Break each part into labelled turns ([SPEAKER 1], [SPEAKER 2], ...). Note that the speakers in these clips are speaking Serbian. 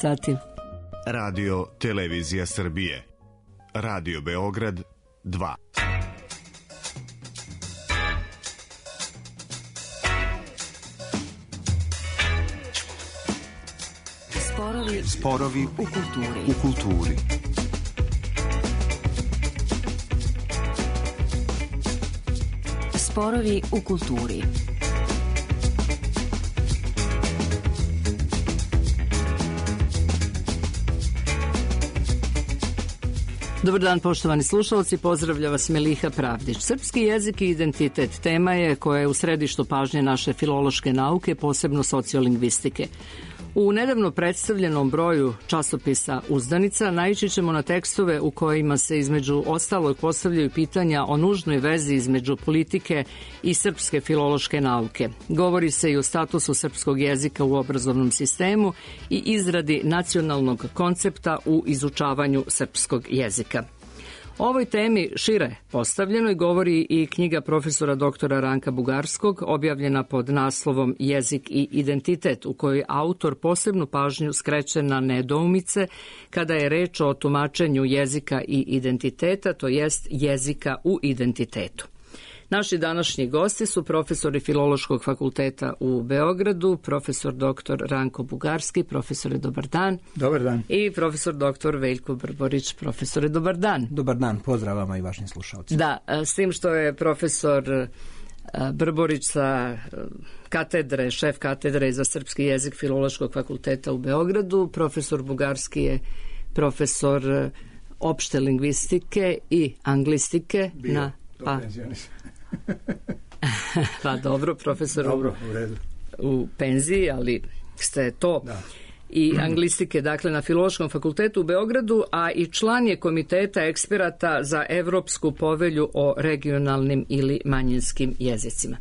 [SPEAKER 1] sati.
[SPEAKER 2] Radio Televizija Srbije. Radio Beograd 2.
[SPEAKER 3] Sporovi u kulturi.
[SPEAKER 1] Sporovi u kulturi. Dobar dan, poštovani slušalci, pozdravlja vas Meliha Pravdić. Srpski jezik i identitet tema je koja je u središtu pažnje naše filološke nauke, posebno sociolingvistike. U nedavno predstavljenom broju časopisa Uzdanica naići ćemo na tekstove u kojima se između ostalog postavljaju pitanja o nužnoj vezi između politike i srpske filološke nauke. Govori se i o statusu srpskog jezika u obrazovnom sistemu i izradi nacionalnog koncepta u izučavanju srpskog jezika. O ovoj temi šire postavljenoj govori i knjiga profesora doktora Ranka Bugarskog, objavljena pod naslovom Jezik i identitet, u kojoj autor posebnu pažnju skreće na nedoumice kada je reč o tumačenju jezika i identiteta, to jest jezika u identitetu. Naši današnji gosti su profesori Filološkog fakulteta u Beogradu, profesor dr. Ranko Bugarski. Profesore, dobar dan.
[SPEAKER 4] Dobar dan.
[SPEAKER 1] I profesor dr. Veljko Brborić. Profesore, dobar dan.
[SPEAKER 4] Dobar dan, pozdrav vama i vašim slušalcima.
[SPEAKER 1] Da, s tim što je profesor Brborić sa katedre, šef katedre za srpski jezik Filološkog fakulteta u Beogradu, profesor Bugarski je profesor opšte lingvistike i anglistike
[SPEAKER 4] Bio.
[SPEAKER 1] Pa dobro, profesor
[SPEAKER 4] dobro, u redu.
[SPEAKER 1] U penziji, ali ste to da. I anglistike, dakle, na Filološkom fakultetu u Beogradu, a i član je komiteta eksperata za Evropsku povelju o regionalnim ili manjinskim jezicima.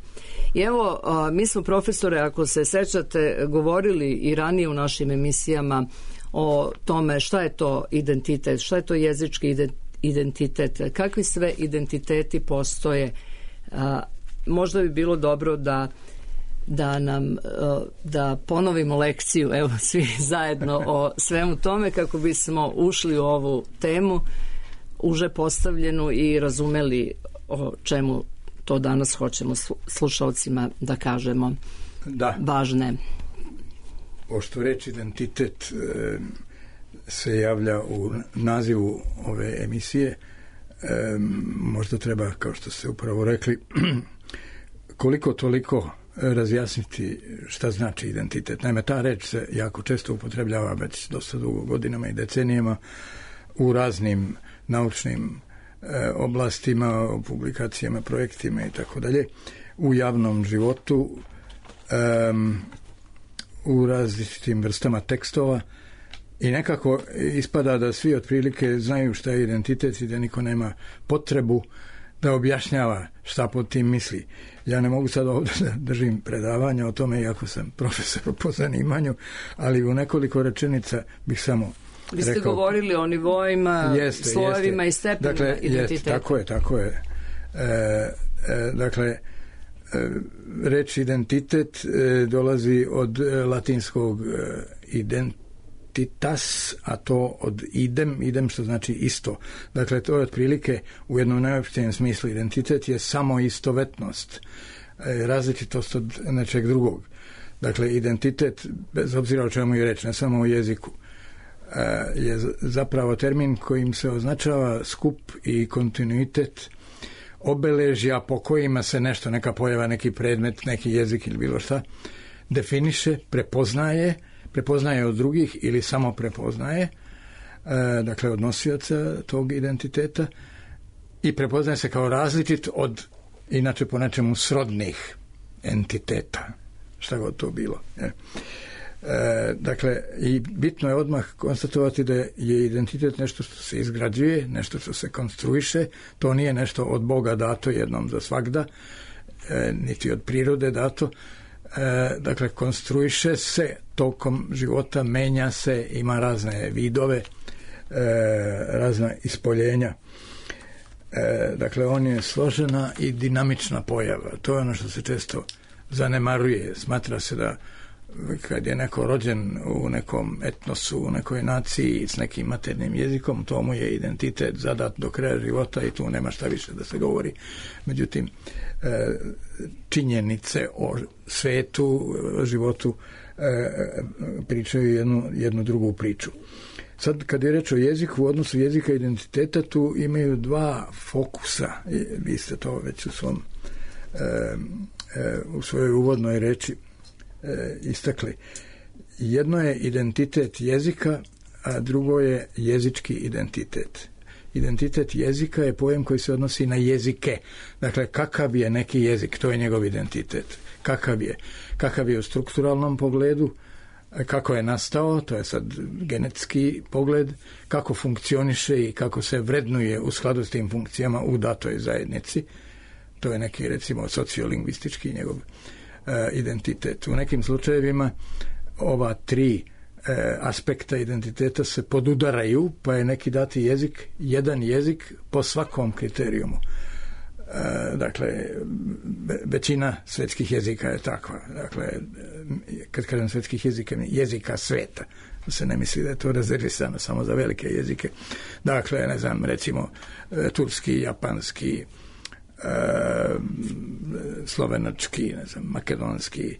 [SPEAKER 1] I evo, mi smo, profesore, ako se sećate, govorili i ranije u našim emisijama o tome šta je to identitet, šta je to jezički identitet, kakvi sve identiteti postoje. Možda bi bilo dobro da ponovimo lekciju, evo, svi zajedno o svemu tome, kako bismo ušli u ovu temu uže postavljenu i razumeli o čemu to danas hoćemo slušalcima da kažemo.
[SPEAKER 4] Da.
[SPEAKER 1] Važne.
[SPEAKER 4] Pošto reč identitet se javlja u nazivu ove emisije, možda treba, kao što ste upravo rekli, koliko toliko razjasniti šta znači identitet. Naime, ta reč se jako često upotrebljava već dosta dugo godinama i decenijama u raznim naučnim oblastima, publikacijama, projektima i tako dalje, u javnom životu, u različitim vrstama tekstova. I nekako ispada da svi otprilike znaju šta je identitet i da niko nema potrebu da objašnjava šta pod tim misli. Ja ne mogu sad ovdje da držim predavanja o tome, iako sam profesor po zanimanju, ali u nekoliko rečenica bih samo rekao. Vi ste
[SPEAKER 1] govorili o nivoima, slojevima i stepenima, dakle, identiteta.
[SPEAKER 4] Tako je. Dakle, reč identitet dolazi od latinskog identitas, a to od idem što znači isto. Dakle, to je otprilike u jednom najopštijem smislu. Identitet je samo istovetnost, različitost od nečeg drugog. Dakle, identitet, bez obzira o čemu je reč, ne samo o jeziku, je zapravo termin kojim se označava skup i kontinuitet obeležja po kojima se nešto, neka pojava, neki predmet, neki jezik ili bilo šta, definiše, prepoznaje od drugih ili samo prepoznaje, dakle od nosioca tog identiteta, i prepoznaje se kao različit od, inače po nečemu, srodnih entiteta, šta god to bilo. Dakle, i bitno je odmah konstatovati da je identitet nešto što se izgrađuje, nešto što se konstruiše, to nije nešto od Boga dato jednom za svagda, niti od prirode dato. Dakle, konstruiše se tokom života, menja se, ima razne vidove, razna ispoljenja. Dakle, on je složena i dinamična pojava. To je ono što se često zanemaruje. Smatra se da kad je neko rođen u nekom etnosu, u nekoj naciji s nekim maternjim jezikom, to mu je identitet zadat do kraja života i tu nema šta više da se govori. Međutim, činjenice o svetu, o životu pričaju jednu drugu priču. Sad, kad je reč o jeziku, u odnosu jezika i identiteta, tu imaju dva fokusa. Vi ste to već u svojoj uvodnoj reči istakli. Jedno je identitet jezika, a drugo je jezički identitet. Identitet jezika je pojam koji se odnosi na jezike. Dakle, kakav je neki jezik, to je njegov identitet. Kakav je u strukturalnom pogledu, kako je nastao, to je sad genetski pogled, kako funkcioniše i kako se vrednuje u skladu s tim funkcijama u datoj zajednici. To je neki, recimo, sociolingvistički njegov identitet. U nekim slučajevima ova tri aspekta identiteta se podudaraju, pa je neki dati jezik, jedan jezik po svakom kriterijumu. Dakle, većina svetskih jezika je takva. Dakle, kad kažem svetskih jezika, jezika sveta, se ne misli da je to rezervisano samo za velike jezike. Dakle, ne znam, recimo turski, japanski, slovenački, ne znam, makedonski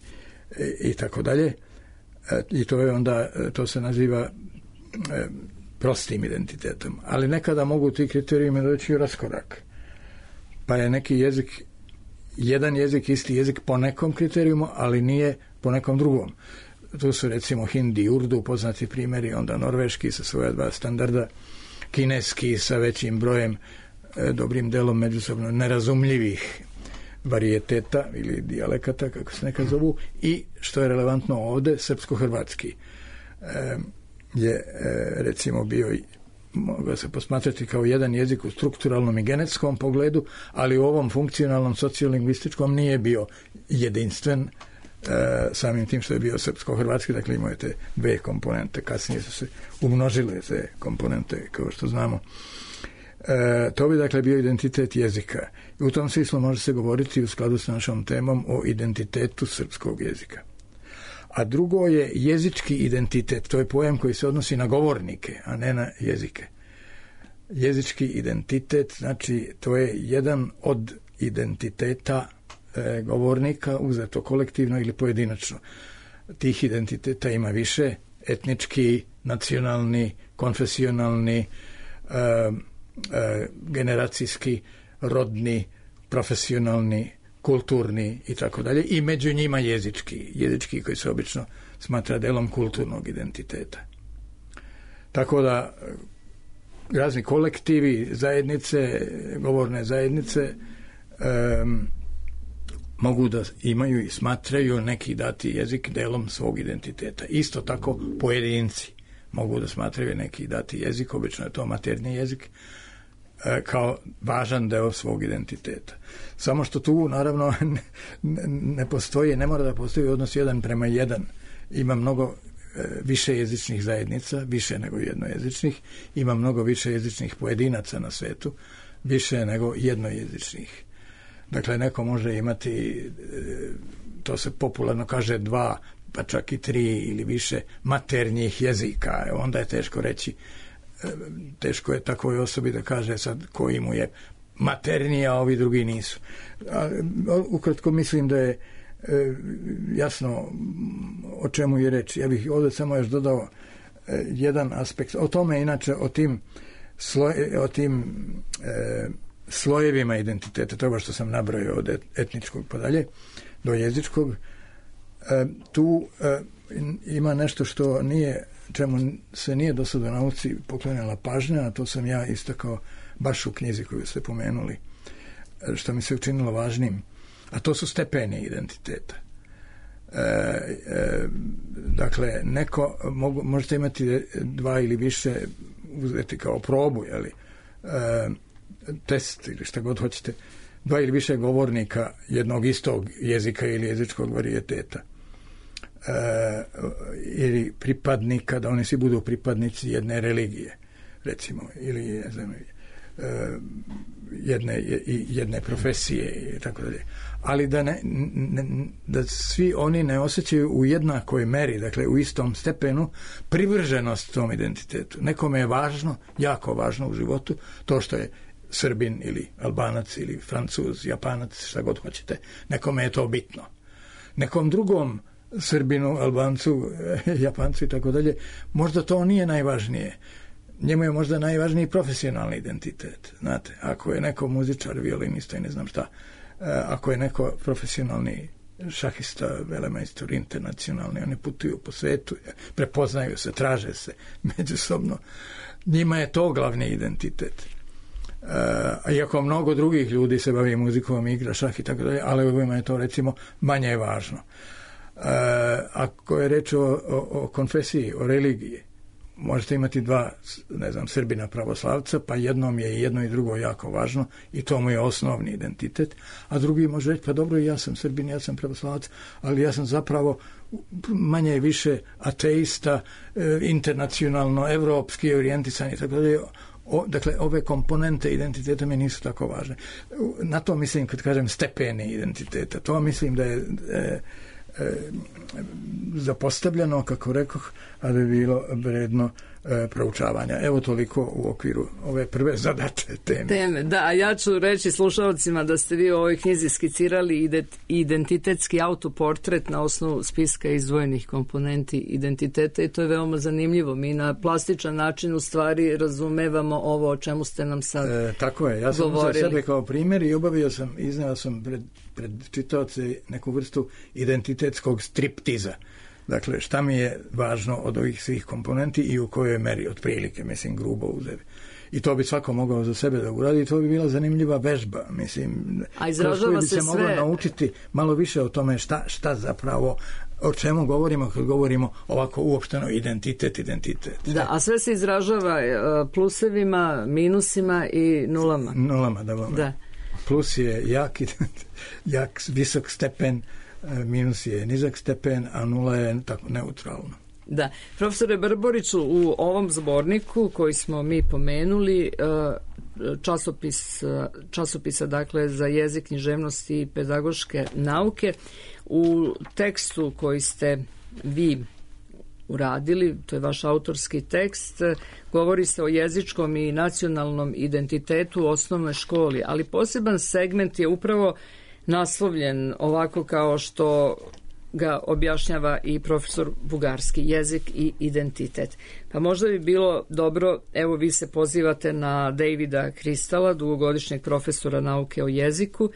[SPEAKER 4] i tako dalje. I to je onda, to se naziva prostim identitetom. Ali nekada mogu ti kriterijumi doći u raskorak. Pa je neki jezik, jedan jezik, isti jezik po nekom kriterijumu, ali nije po nekom drugom. Tu su recimo hindi i urdu, poznati primjeri, onda norveški sa svoja dva standarda, kineski sa većim brojem, dobrim delom međusobno nerazumljivih varijeteta ili dijalekata, kako se nekad zovu, i što je relevantno ovde, srpsko-hrvatski je recimo bio, mogao se posmatrati kao jedan jezik u strukturalnom i genetskom pogledu, ali u ovom funkcionalnom sociolingvističkom nije bio jedinstven, samim tim što je bio srpsko-hrvatski, dakle imao je te dve komponente, kasnije su se umnožile te komponente, kao što znamo. To bi dakle bio identitet jezika. I u tom smislu može se govoriti u skladu s našom temom o identitetu srpskog jezika. A drugo je jezički identitet, to je pojam koji se odnosi na govornike, a ne na jezike. Jezički identitet, znači to je jedan od identiteta govornika, uzeto kolektivno ili pojedinačno. Tih identiteta ima više, etnički, nacionalni, konfesionalni, generacijski, rodni, profesionalni, kulturni i tako dalje, i među njima jezički koji se obično smatra delom kulturnog identiteta. Tako da razni kolektivi, zajednice, govorne zajednice mogu da imaju i smatraju neki dati jezik delom svog identiteta. Isto tako pojedinci mogu da smatraju neki dati jezik, obično je to maternji jezik, kao važan deo svog identiteta. Samo što tu naravno ne postoji, ne mora da postoji odnos 1:1. Ima mnogo više jezičnih zajednica, više nego jednojezičnih, ima mnogo više jezičnih pojedinaca na svetu, više nego jednojezičnih. Dakle, neko može imati, to se popularno kaže 2, pa čak i 3 ili više maternjih jezika. Onda je teško reći, teško je takvoj osobi da kaže sad koji mu je materniji, a ovi drugi nisu. Ukratko mislim da je jasno o čemu je reč. Ja bih ovdje samo još dodao jedan aspekt. O tome, inače, o tim slojevima identiteta, toga što sam nabrojao od etničkog pa dalje do jezičkog, tu ima nešto što nije, čemu se nije do sada u nauci poklonila pažnja, a to sam ja istakao baš u knjizi koju ste pomenuli, što mi se učinilo važnim, a to su stepeni identiteta. Dakle, možete imati 2 ili više, uzeti kao probu, test ili šta god hoćete, 2 ili više govornika jednog istog jezika ili jezičkog varijeteta, ili pripadnika, da oni svi budu pripadnici jedne religije, recimo, ili ne znam, jedne profesije i tako dalje. Ali da svi oni ne osjećaju u jednakoj meri, dakle u istom stepenu, privrženost tom identitetu. Nekome je važno, jako važno u životu, to što je Srbin ili Albanac ili Francuz, Japanac, šta god hoćete. Nekome je to bitno. Nekom drugom Srbinu, Albancu, Japancu i tako dalje, možda to nije najvažnije. Njemu je možda najvažniji profesionalni identitet. Znate, ako je neko muzičar, violinista i ne znam šta, ako je neko profesionalni šahista, velemajstor, internacionalni, oni putuju po svetu, prepoznaju se, traže se međusobno. Njima je to glavni identitet. Iako mnogo drugih ljudi se bavi muzikom, igra šah i tako dalje, ali ovima je to recimo manje važno. Ako je reč o konfesiji, o religiji, možete imati dva, ne znam, Srbina pravoslavca, pa jednom je i jedno i drugo jako važno i to mu je osnovni identitet, a drugi može reći, pa dobro, ja sam Srbin, ja sam pravoslavac, ali ja sam zapravo manje i više ateista, internacionalno, evropski orijentisan i tako dalje. Dakle, ove komponente identiteta mi nisu tako važne. Na to mislim kad kažem stepeni identiteta. To mislim da je zapostavljeno, kako rekoh, a da je bilo vredno proučavanja. Evo toliko u okviru ove prve zadaće teme.
[SPEAKER 1] Da, a ja ću reći slušalcima da ste vi u ovoj knjizi skicirali identitetski autoportret na osnovu spiska izdvojenih komponenti identiteta i to je veoma zanimljivo. Mi na plastičan način u stvari razumevamo ovo o čemu ste nam sad govorili.
[SPEAKER 4] Tako je, ja sam uzeo sebe kao primjer i izneo sam pred čitaoce neku vrstu identitetskog striptiza. Dakle, šta mi je važno od ovih svih komponenti i u kojoj meri, otprilike, mislim, grubo uzevi. I to bi svako mogao za sebe da uradi i to bi bila zanimljiva vežba, mislim.
[SPEAKER 1] A izražava
[SPEAKER 4] se sve. Moglo naučiti malo više o tome šta zapravo, o čemu govorimo kad govorimo ovako uopšteno identitet.
[SPEAKER 1] Da, a sve se izražava plusevima, minusima i nulama.
[SPEAKER 4] Nulama, da. Plus je jak visok stepen, minus je nizak stepen, a nula je tako neutralno.
[SPEAKER 1] Da. Profesore Brboriću, u ovom zborniku koji smo mi pomenuli, časopisa dakle za jezik, književnost i pedagoške nauke, u tekstu koji ste vi uradili, to je vaš autorski tekst, govori se o jezičkom i nacionalnom identitetu u osnovnoj školi, ali poseban segment je upravo naslovljen ovako kao što ga objašnjava i profesor Bugarski, jezik i identitet. Pa možda bi bilo dobro, evo vi se pozivate na Davida Kristala, dugogodišnjeg profesora nauke o jeziku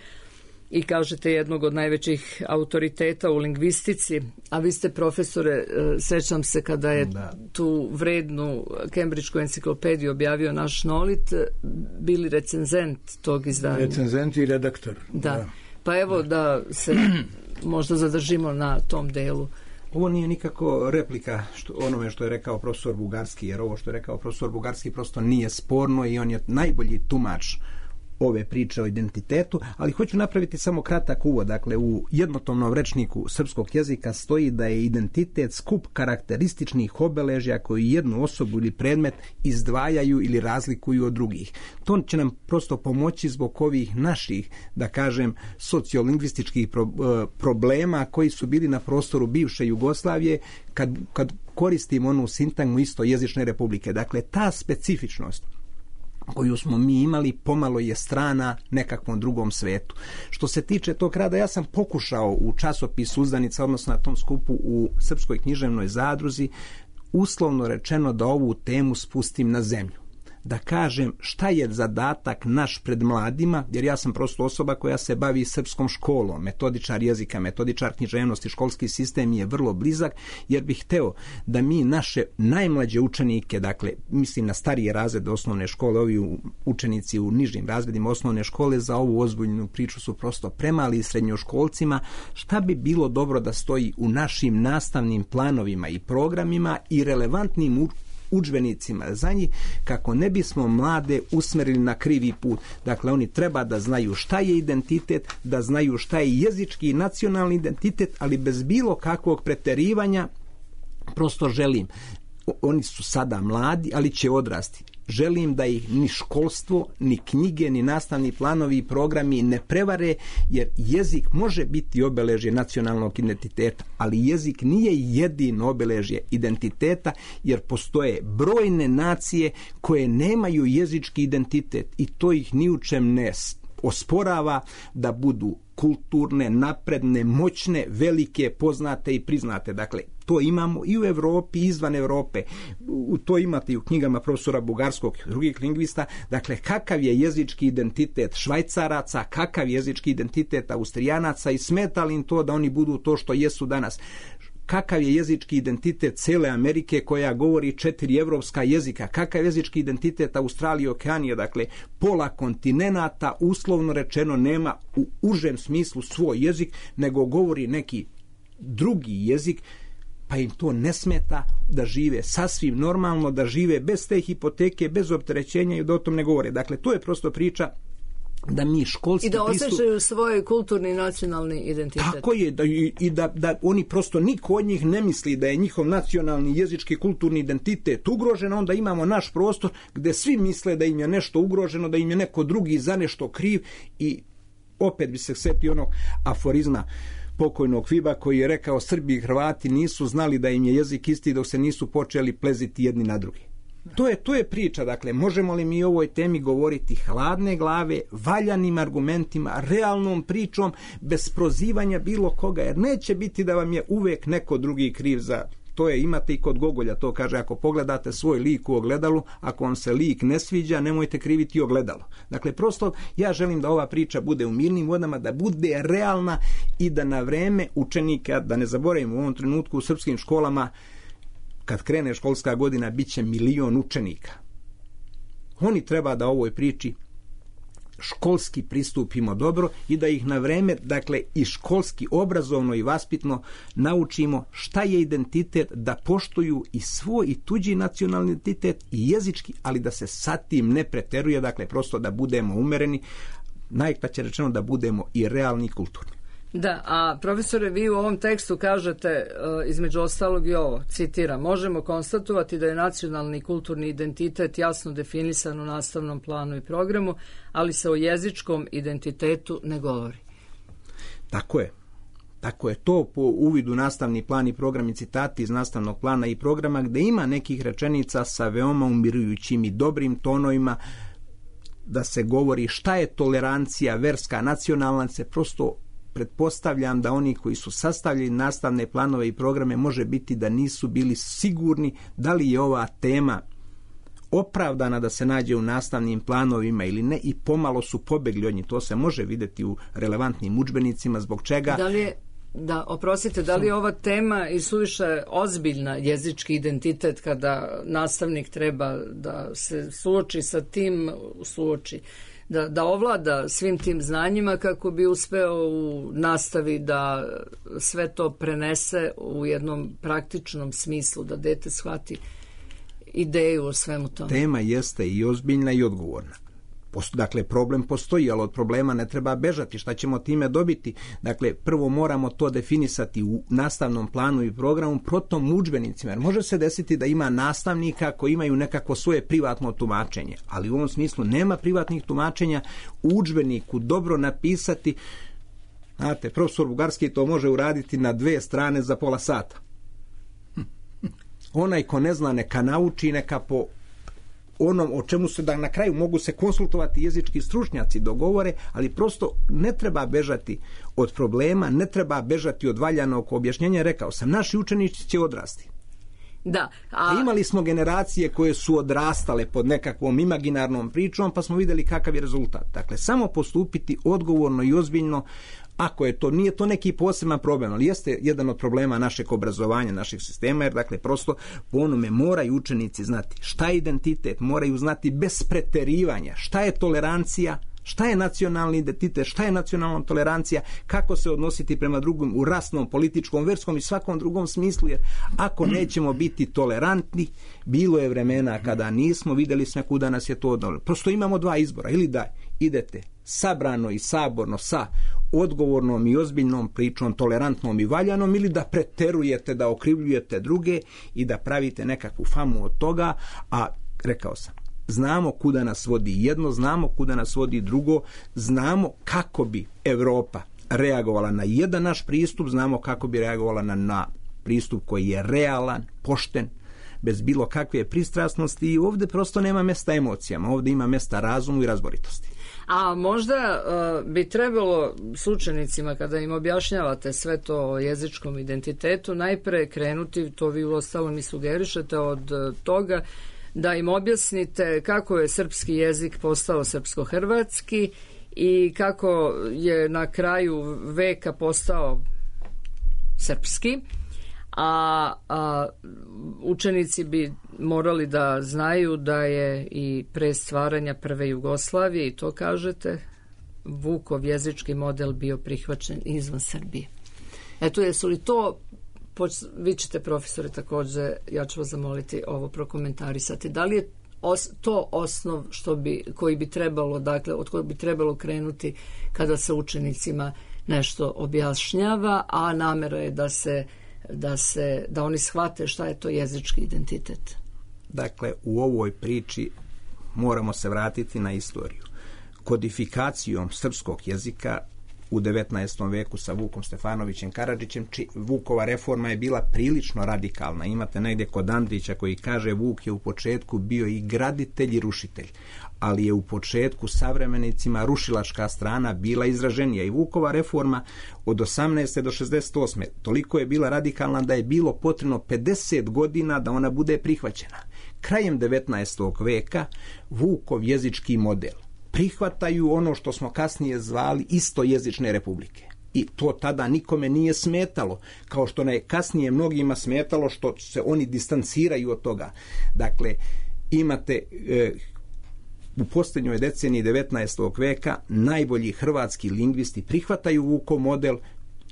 [SPEAKER 1] i kažete jednog od najvećih autoriteta u lingvistici, a vi ste, profesore, sećam se kada je tu vrednu Kembridžku enciklopediju objavio naš Nolit, bili recenzent tog izdanja.
[SPEAKER 4] Recenzent i redaktor.
[SPEAKER 1] Da. Pa evo da se možda zadržimo na tom delu.
[SPEAKER 5] Ovo nije nikako replika onome što je rekao profesor Bugarski, jer ovo što je rekao profesor Bugarski prosto nije sporno i on je najbolji tumač ove priče o identitetu, ali hoću napraviti samo kratak uvod. Dakle, u jednotomnom rečniku srpskog jezika stoji da je identitet skup karakterističnih obeležja koji jednu osobu ili predmet izdvajaju ili razlikuju od drugih. To će nam prosto pomoći zbog ovih naših, da kažem, sociolingvističkih problema koji su bili na prostoru bivše Jugoslavije kad koristimo onu sintagmu istojezične republike. Dakle, ta specifičnost koju smo mi imali pomalo je strana nekakvom drugom svetu. Što se tiče tog rada, ja sam pokušao u časopisu Uzdanica, odnosno na tom skupu u Srpskoj književnoj zadruzi, uslovno rečeno da ovu temu spustim na zemlju. Da kažem šta je zadatak naš pred mladima, jer ja sam prosto osoba koja se bavi srpskom školom, metodičar jezika, metodičar književnosti, školski sistem je vrlo blizak, jer bih hteo da mi naše najmlađe učenike, dakle, mislim na starije razrede osnovne škole, ovi učenici u nižim razredima osnovne škole za ovu ozbiljnu priču su prosto premali srednjoškolcima, šta bi bilo dobro da stoji u našim nastavnim planovima i programima i relevantnim udžbenicima za njih, kako ne bismo mlade usmerili na krivi put. Dakle, oni treba da znaju šta je identitet, da znaju šta je jezički i nacionalni identitet, ali bez bilo kakvog preterivanja. Prosto želim, oni su sada mladi, ali će odrasti. želim da ih ni školstvo, ni knjige, ni nastavni planovi i programi ne prevare, jer jezik može biti obeležje nacionalnog identiteta, ali jezik nije jedino obeležje identiteta, jer postoje brojne nacije koje nemaju jezički identitet i to ih ni u čem ne osporava da budu kulturne, napredne, moćne, velike, poznate i priznate. Dakle, to imamo i u Evropi i izvan Evrope. To imate i u knjigama profesora Bugarskog i drugih lingvista. Dakle, kakav je jezički identitet Švajcaraca, kakav je jezički identitet Austrijanaca i smeta li im to da oni budu to što jesu danas. Kakav je jezički identitet cele Amerike koja govori 4 evropska jezika, kakav je jezički identitet Australije i Okeanije, dakle pola kontinenata uslovno rečeno nema u užem smislu svoj jezik, nego govori neki drugi jezik, pa im to ne smeta da žive sasvim normalno, da žive bez te hipoteke, bez opterećenja i da o tom ne govore. Dakle, to je prosto priča da mi školski
[SPEAKER 1] i da osjećaju svoj kulturni i nacionalni identitet.
[SPEAKER 5] Tako je, da oni prosto niko od njih ne misli da je njihov nacionalni, jezički, kulturni identitet ugrožen, onda imamo naš prostor gde svi misle da im je nešto ugroženo, da im je neko drugi za nešto kriv i opet bi se setio onog aforizma pokojnog Fiba koji je rekao Srbi i Hrvati nisu znali da im je jezik isti dok se nisu počeli pleziti jedni na drugi. To je priča, dakle, možemo li mi o ovoj temi govoriti hladne glave, valjanim argumentima, realnom pričom, bez prozivanja bilo koga, jer neće biti da vam je uvek neko drugi kriv za to. Imate i kod Gogolja, to kaže, ako pogledate svoj lik u ogledalu, ako vam se lik ne sviđa, nemojte kriviti ogledalo. Dakle, prosto ja želim da ova priča bude u mirnim vodama, da bude realna i da na vreme učenika, da ne zaboravimo u ovom trenutku u srpskim školama, kad krene školska godina, bit će 1 milion učenika. Oni treba da ovoj priči školski pristupimo dobro i da ih na vreme, dakle i školski, obrazovno i vaspitno naučimo šta je identitet, da poštuju i svoj i tuđi nacionalni identitet i jezički, ali da se sa tim ne preteruje, dakle prosto da budemo umereni, najkraće rečeno da budemo i realni i kulturni.
[SPEAKER 1] Da, a profesore, vi u ovom tekstu kažete između ostalog i ovo, citiram, možemo konstatovati da je nacionalni i kulturni identitet jasno definisan u nastavnom planu i programu, ali se o jezičkom identitetu ne govori.
[SPEAKER 5] Tako je. Tako je to po uvidu nastavni plan i program i citati iz nastavnog plana i programa gde ima nekih rečenica sa veoma umirujućim i dobrim tonovima da se govori šta je tolerancija verska, nacionalna, se prosto pretpostavljam da oni koji su sastavljali nastavne planove i programe može biti da nisu bili sigurni da li je ova tema opravdana da se nađe u nastavnim planovima ili ne i pomalo su pobegli od njih. To se može vidjeti u relevantnim udžbenicima, zbog čega...
[SPEAKER 1] Da li je ova tema i suviše ozbiljna jezički identitet kada nastavnik treba da se suoči sa tim, da ovlada svim tim znanjima kako bi uspeo u nastavi da sve to prenese u jednom praktičnom smislu, da dete shvati ideju o svemu tome.
[SPEAKER 5] Tema jeste i ozbiljna i odgovorna. Dakle, problem postoji, ali od problema ne treba bežati. Šta ćemo time dobiti? Dakle, prvo moramo to definisati u nastavnom planu i programu, potom u udžbenicima. Jer može se desiti da ima nastavnika koji imaju nekako svoje privatno tumačenje, ali u ovom smislu nema privatnih tumačenja. U udžbeniku dobro napisati, znate, profesor Bugarski to može uraditi na 2 strane za pola sata. Onaj ko ne zna neka nauči, neka po onom o čemu se da na kraju mogu se konsultovati jezički stručnjaci dogovore, ali prosto ne treba bežati od problema, ne treba bežati od valjanog objašnjenja. Rekao sam, naši učenici će odrasti. A imali smo generacije koje su odrastale pod nekakvom imaginarnom pričom, pa smo vidjeli kakav je rezultat. Dakle, samo postupiti odgovorno i ozbiljno, ako je to, nije to neki poseban problem, ali jeste jedan od problema našeg obrazovanja, našeg sistema, jer dakle prosto po onome moraju učenici znati šta je identitet, moraju znati bez preterivanja šta je tolerancija, šta je nacionalni identitet, šta je nacionalna tolerancija, kako se odnositi prema drugom u rasnom, političkom, verskom i svakom drugom smislu, jer ako nećemo biti tolerantni, bilo je vremena kada nismo, vidjeli smo kuda nas je to odnalo. Prosto imamo 2 izbora, ili da idete sabrano i saborno sa odgovornom i ozbiljnom pričom, tolerantnom i valjanom, ili da preterujete, da okrivljujete druge i da pravite nekakvu famu od toga, a rekao sam, znamo kuda nas vodi jedno, znamo kuda nas vodi drugo, znamo kako bi Evropa reagovala na jedan naš pristup, znamo kako bi reagovala na pristup koji je realan, pošten, bez bilo kakve pristrasnosti i ovdje prosto nema mjesta emocijama, ovdje ima mjesta razumu i razboritosti.
[SPEAKER 1] A možda bi trebalo s učenicima, kada im objašnjavate sve to o jezičkom identitetu, najpre krenuti, to vi uostalom i sugerišete, od toga da im objasnite kako je srpski jezik postao srpsko-hrvatski i kako je na kraju veka postao srpski. A učenici bi morali da znaju da je i pre stvaranja prve Jugoslavije, i to kažete, Vukov jezički model bio prihvaćen izvan Srbije. Eto, jesu li to, vi ćete, profesore, također, ja ću vas zamoliti ovo prokomentarisati, da li je to osnov koji bi trebalo, dakle, od kojeg bi trebalo krenuti kada se učenicima nešto objašnjava, a namera je da oni shvate šta je to jezički identitet?
[SPEAKER 5] Dakle, u ovoj priči moramo se vratiti na istoriju. Kodifikacijom srpskog jezika u 19. veku sa Vukom Stefanovićem Karadžićem, Vukova reforma je bila prilično radikalna. Imate negdje kod Andrića koji kaže Vuk je u početku bio i graditelj i rušitelj, ali je u početku savremenicima rušilačka strana bila izraženija i Vukova reforma od 18. do 68. toliko je bila radikalna da je bilo potrebno 50 godina da ona bude prihvaćena. Krajem 19. veka Vukov jezički model prihvataju ono što smo kasnije zvali istojezične republike. I to tada nikome nije smetalo, kao što je kasnije mnogima smetalo što se oni distanciraju od toga. Dakle, imate u posljednjoj deceniji 19. veka najbolji hrvatski lingvisti prihvataju Vukov model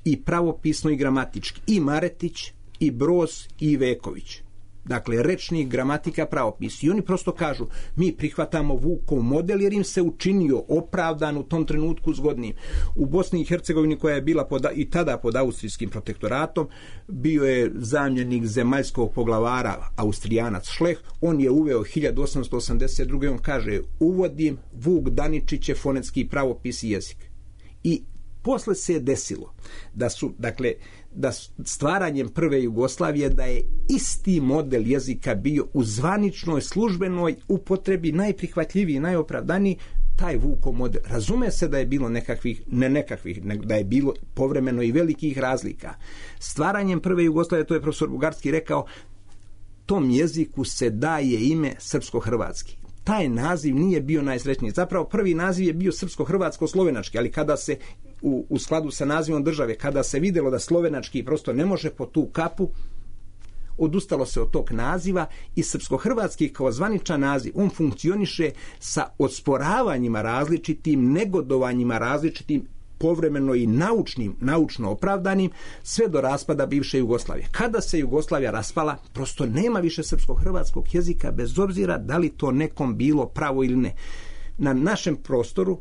[SPEAKER 5] i pravopisno i gramatički. I Maretić, i Broz, i Veković. Dakle, rečnik, gramatika, pravopis. I oni prosto kažu, mi prihvatamo Vukov model jer im se učinio opravdan u tom trenutku zgodnim. U Bosni i Hercegovini, koja je bila i tada pod austrijskim protektoratom, bio je zamjenik zemaljskog poglavara Austrijanac Šleh. On je uveo 1882. On kaže, uvodim Vuk Daničiće fonetski pravopis i jezik. I posle se je desilo da stvaranjem prve Jugoslavije da je isti model jezika bio u zvaničnoj službenoj upotrebi najprihvatljiviji, najopravdaniji, taj Vukov model. Razume se da je bilo da je bilo povremeno i velikih razlika. Stvaranjem prve Jugoslavije, to je profesor Bugarski rekao, tom jeziku se daje ime srpsko-hrvatski. Taj naziv nije bio najsrećniji. Zapravo prvi naziv je bio srpsko-hrvatsko-slovenački, ali kada se u skladu sa nazivom države, kada se vidjelo da slovenački prosto ne može po tu kapu, odustalo se od tog naziva i srpsko-hrvatski kao zvaničan naziv, on funkcioniše sa osporavanjima različitim, negodovanjima različitim, povremeno i naučno opravdanim, sve do raspada bivše Jugoslavije. Kada se Jugoslavija raspala, prosto nema više srpsko-hrvatskog jezika, bez obzira da li to nekom bilo pravo ili ne. Na našem prostoru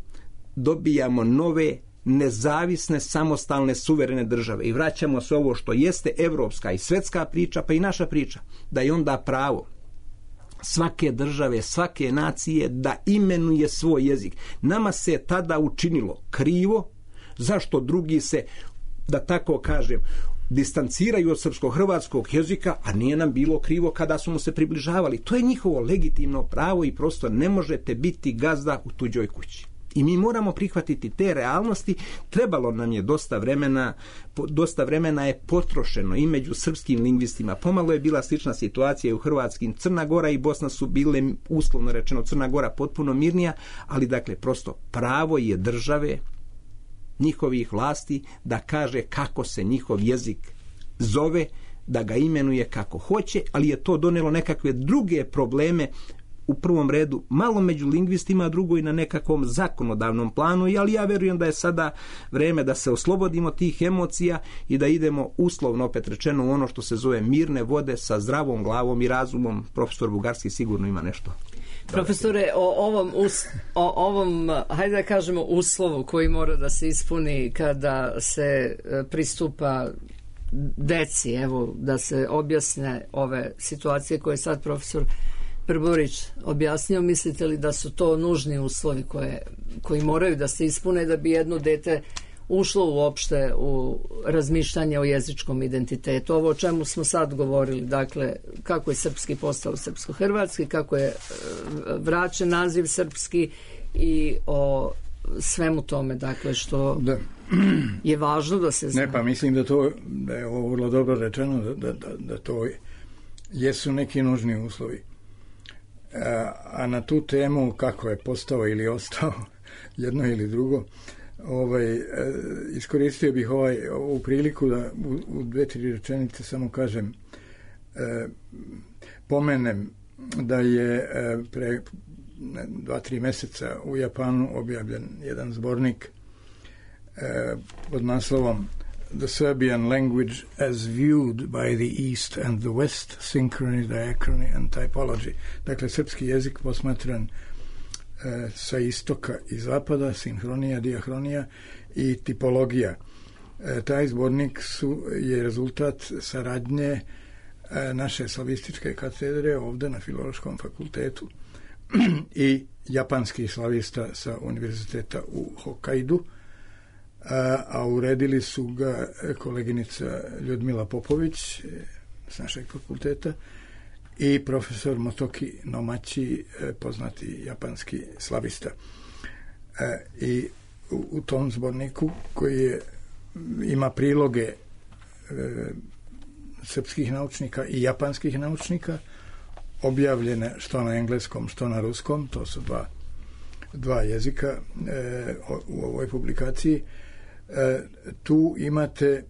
[SPEAKER 5] dobijamo nove, nezavisne, samostalne, suverene države i vraćamo se ovo što jeste evropska i svetska priča, pa i naša priča, da je onda pravo svake države, svake nacije da imenuje svoj jezik. Nama se tada učinilo krivo, zašto drugi se, da tako kažem, distanciraju od srpsko-hrvatskog jezika, a nije nam bilo krivo kada su mu se približavali. To je njihovo legitimno pravo i prosto ne možete biti gazda u tuđoj kući. I mi moramo prihvatiti te realnosti. Trebalo nam je dosta vremena je potrošeno i među srpskim lingvistima. Pomalo je bila slična situacija i u hrvatskim. Crna Gora i Bosna su bile, uslovno rečeno, Crna Gora potpuno mirnija, ali dakle prosto pravo je države, njihovih vlasti, da kaže kako se njihov jezik zove, da ga imenuje kako hoće, ali je to donelo nekakve druge probleme, u prvom redu malo među lingvistima, a drugo i na nekakvom zakonodavnom planu, ali ja verujem da je sada vreme da se oslobodimo tih emocija i da idemo uslovno, opet rečeno, u ono što se zove mirne vode sa zdravom glavom i razumom. Profesor Bugarski sigurno ima nešto.
[SPEAKER 1] Profesore, o ovom, hajde da kažemo, uslovu koji mora da se ispuni kada se pristupa deci, evo, da se objasne ove situacije koje sad profesor Brborić objasnio, mislite li da su to nužni uslovi koji moraju da se ispune da bi jedno dete ušlo uopšte u razmišljanje o jezičkom identitetu? Ovo o čemu smo sad govorili, dakle, kako je srpski postao srpsko-hrvatski, kako je vraćen naziv srpski i o svemu tome, dakle, što je važno da se zna.
[SPEAKER 4] Ne, pa mislim da je ovo vrlo dobro rečeno, da to jesu neki nužni uslovi. A na tu temu kako je postao ili ostao jedno ili drugo, iskoristio bih ovu priliku da u 2-3 rečenice samo kažem, pomenem da je pre 2-3 meseca u Japanu objavljen jedan zbornik pod naslovom The Serbian Language as Viewed by the East and the West, Synchrony, Diachrony and Typology. Dakle, srpski jezik posmatran sa istoka i zapada, sinhronija, diahronija i tipologija. Taj zbornik je rezultat saradnje naše slavističke katedre ovde na Filološkom fakultetu i japanskih slavista sa univerziteta u Hokkaidu, a uredili su ga koleginica Ljudmila Popović s našeg fakulteta i profesor Motoki Nomachi, poznati japanski slavista. I u tom zborniku, koji ima priloge srpskih naučnika i japanskih naučnika, objavljene što na engleskom, što na ruskom, to su dva jezika u ovoj publikaciji. Tu imate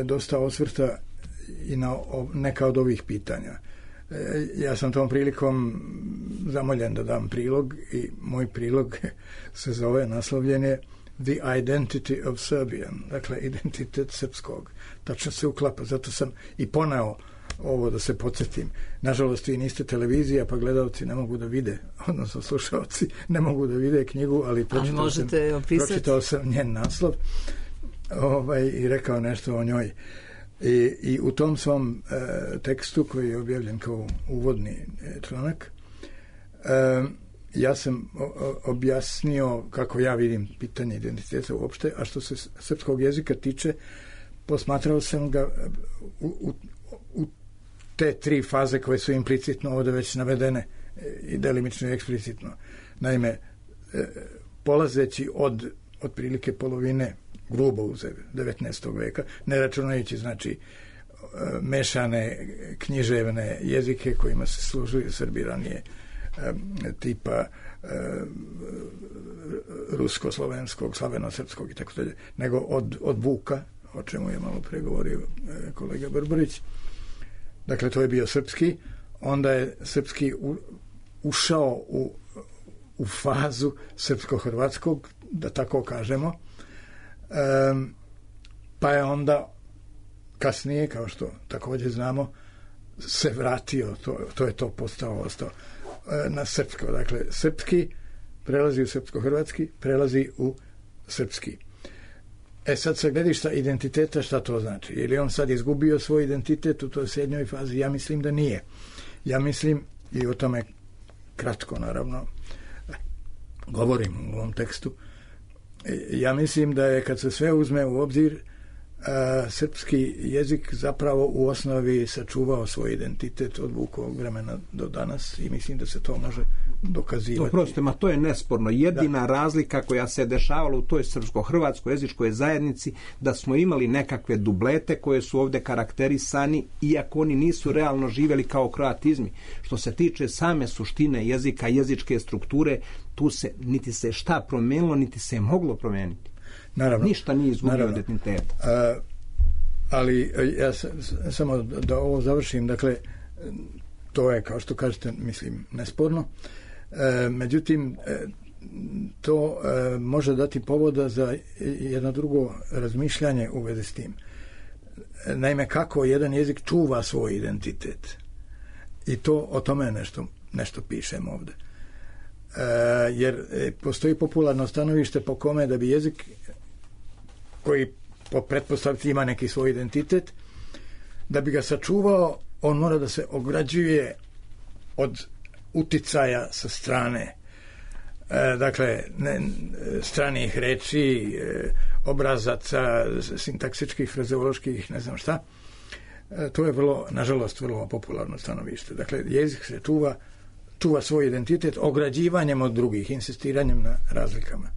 [SPEAKER 4] dosta osvrta i na neka od ovih pitanja. Ja sam tom prilikom zamoljen da dam prilog i moj prilog se zove, naslovljen je The Identity of Serbian, dakle identitet srpskog. Tačno se uklapa, zato sam i poneo ovo da se podsjetim. Nažalost, vi niste televizija, pa gledalci ne mogu da vide, odnosno slušalci ne mogu da vide knjigu, ali pročitao sam njen naslov i rekao nešto o njoj. I u tom svom tekstu, koji je objavljen kao uvodni članak, ja sam objasnio kako ja vidim pitanje identiteta uopšte, a što se srpskog jezika tiče, posmatrao sam ga u te 3 faze koje su implicitno ovde već navedene i delimično i eksplicitno. Naime, polazeći od otprilike polovine, grubo uzeo, 19. veka, ne računajući, znači, mešane književne jezike kojima se služuju Srbi ranije, tipa rusko-slovenskog, slaveno-srpskog i tako dalje, nego od Vuka, o čemu je malo pregovorio kolega Brborić. Dakle, to je bio srpski, onda je srpski ušao u fazu srpsko-hrvatskog, da tako kažemo, pa je onda kasnije, kao što također znamo, se vratio, to je to ostao na srpsko. Dakle, srpski prelazi u srpsko-hrvatski, prelazi u srpski. Sad sa gledišta identiteta, šta to znači? Je li on sad izgubio svoj identitet u toj srednjoj fazi? Ja mislim da nije. Ja mislim, i o tome kratko naravno govorim u ovom tekstu, ja mislim da je, kad se sve uzme u obzir, srpski jezik zapravo u osnovi sačuvao svoj identitet od Vukovog vremena do danas i mislim da se to može dokazivati.
[SPEAKER 5] Oprostite, to je nesporno. Jedina razlika koja se dešavala u toj srpsko-hrvatskoj jezičkoj zajednici, da smo imali nekakve dublete koje su ovde karakterisani, iako oni nisu realno živjeli kao kroatizmi. Što se tiče same suštine jezika, jezičke strukture, tu se niti se šta promenilo, niti se je moglo promeniti.
[SPEAKER 4] Naravno,
[SPEAKER 5] ništa nije izgubio identitet.
[SPEAKER 4] Ali ja samo da ovo završim, dakle, to je, kao što kažete, mislim, nesporno. Međutim, to može dati povoda za jedno drugo razmišljanje u vezi s tim. Naime, kako jedan jezik čuva svoj identitet. I to o tome nešto pišem ovde. Jer postoji popularno stanovište po kome da bi jezik, koji po pretpostavci ima neki svoj identitet, da bi ga sačuvao, on mora da se ograđuje od uticaja sa strane. Dakle, stranih reči, obrazaca, sintaksičkih, frazeoloških, ne znam šta. To je vrlo, nažalost, vrlo popularno stanovište. Dakle, jezik se čuva svoj identitet ograđivanjem od drugih, insistiranjem na razlikama.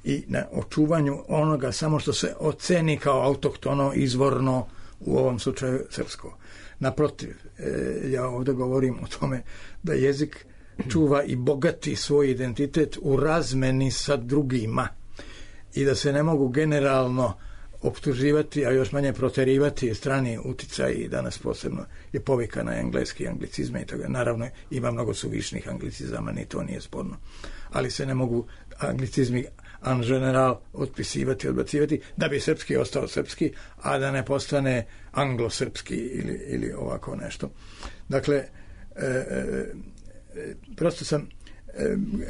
[SPEAKER 4] I na očuvanju onoga samo što se oceni kao autohtono, izvorno, u ovom slučaju srpsko. Naprotiv, ja ovdje govorim o tome da jezik čuva i bogati svoj identitet u razmeni sa drugima i da se ne mogu generalno optuživati, a još manje proterivati strani uticaj i danas posebno je povika na engleski anglicizme i toga. Naravno ima mnogo suvišnih anglicizama, ni to nije sporno. Ali se ne mogu anglicizmi en general otpisivati, odbacivati, da bi srpski ostao srpski, a da ne postane anglosrpski ili ovako nešto. Dakle, prosto sam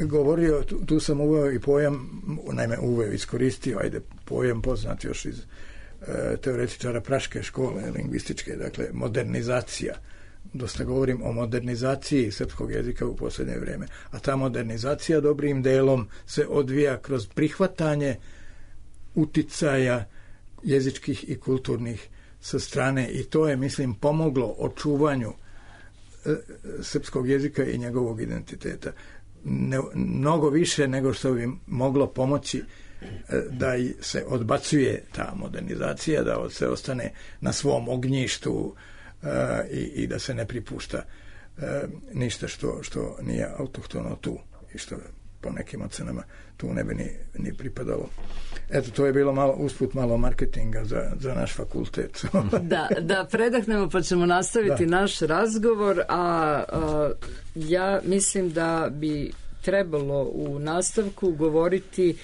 [SPEAKER 4] govorio, tu sam uveo i pojam, naime iskoristio, pojam poznat još iz teoretičara praške škole, lingvističke, dakle, modernizacija. Dosta govorim o modernizaciji srpskog jezika u posljednje vrijeme. A ta modernizacija dobrim delom se odvija kroz prihvatanje uticaja jezičkih i kulturnih sa strane i to je, mislim, pomoglo očuvanju srpskog jezika i njegovog identiteta. Mnogo više nego što bi moglo pomoći da se odbacuje ta modernizacija, da se ostane na svom ognjištu i da se ne pripušta ništa što nije autohtono tu i što po nekim ocenama tu ne bi ni pripadalo. Eto, to je bilo usput malo marketinga za naš fakultet.
[SPEAKER 1] Da predahnemo pa ćemo nastaviti naš razgovor, a ja mislim da bi trebalo u nastavku govoriti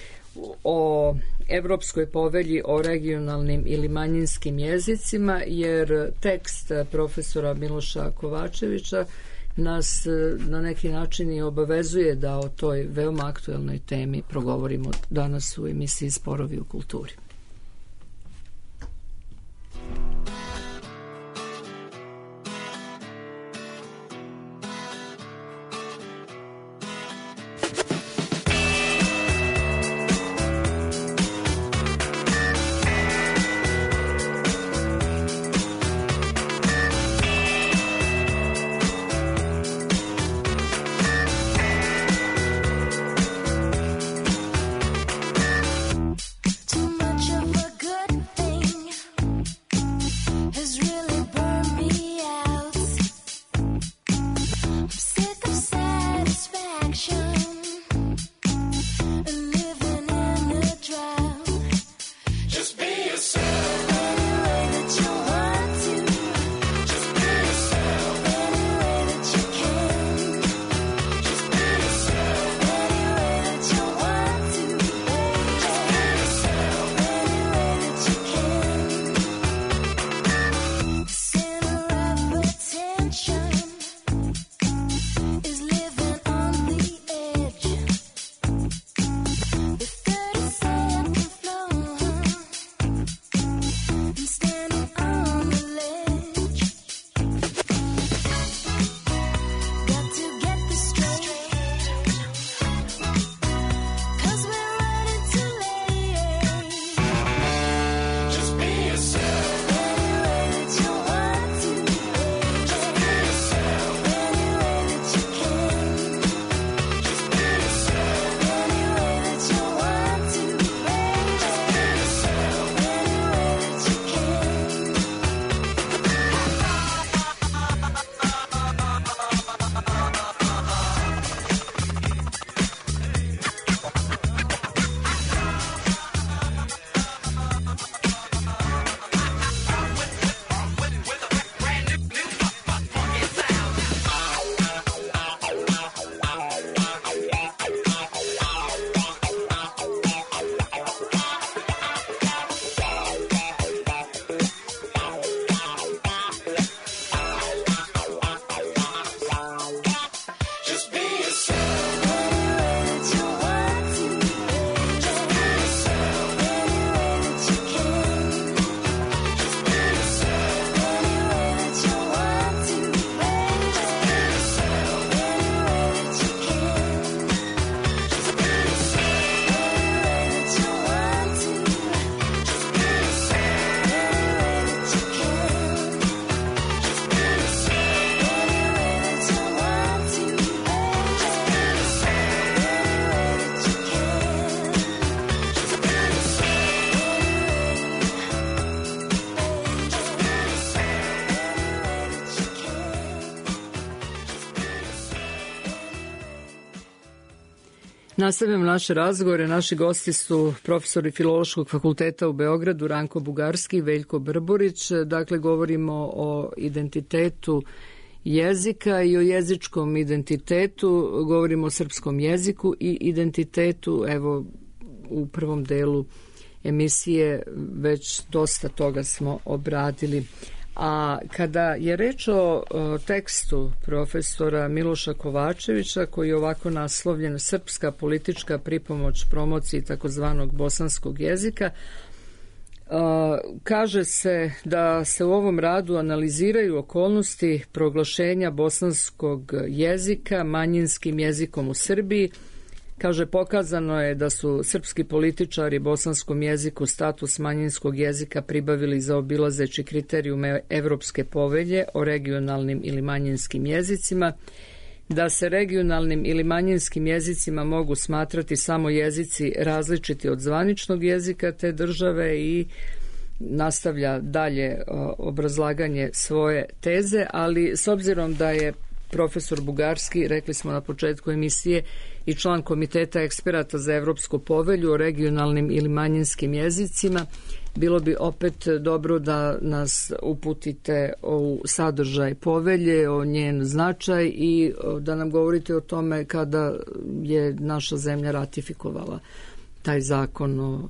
[SPEAKER 1] o Evropskoj povelji o regionalnim ili manjinskim jezicima, jer tekst profesora Miloša Kovačevića nas na neki način i obavezuje da o toj veoma aktuelnoj temi progovorimo danas u emisiji Sporovi u kulturi.
[SPEAKER 6] Too much
[SPEAKER 1] Nastavljamo naše razgovore. Naši gosti su profesori Filološkog fakulteta u Beogradu, Ranko Bugarski i Veljko Brborić. Dakle, govorimo o identitetu jezika i o jezičkom identitetu. Govorimo o srpskom jeziku i identitetu. Evo, u prvom delu emisije već dosta toga smo obradili. A kada je reč o tekstu profesora Miloša Kovačevića, koji je ovako naslovljen Srpska politička pripomoć promociji takozvanog bosanskog jezika, kaže se da se u ovom radu analiziraju okolnosti proglašenja bosanskog jezika manjinskim jezikom u Srbiji. Kaže, pokazano je da su srpski političari bosanskom jeziku status manjinskog jezika pribavili zaobilazeći kriterijume Evropske povelje o regionalnim ili manjinskim jezicima, da se regionalnim ili manjinskim jezicima mogu smatrati samo jezici različiti od zvaničnog jezika te države, i nastavlja dalje obrazlaganje svoje teze, ali s obzirom da je profesor Bugarski, rekli smo na početku emisije, i član Komiteta eksperata za Evropsku povelju o regionalnim ili manjinskim jezicima, bilo bi opet dobro da nas uputite u sadržaj povelje, o njen značaj i da nam govorite o tome kada je naša zemlja ratifikovala taj zakon o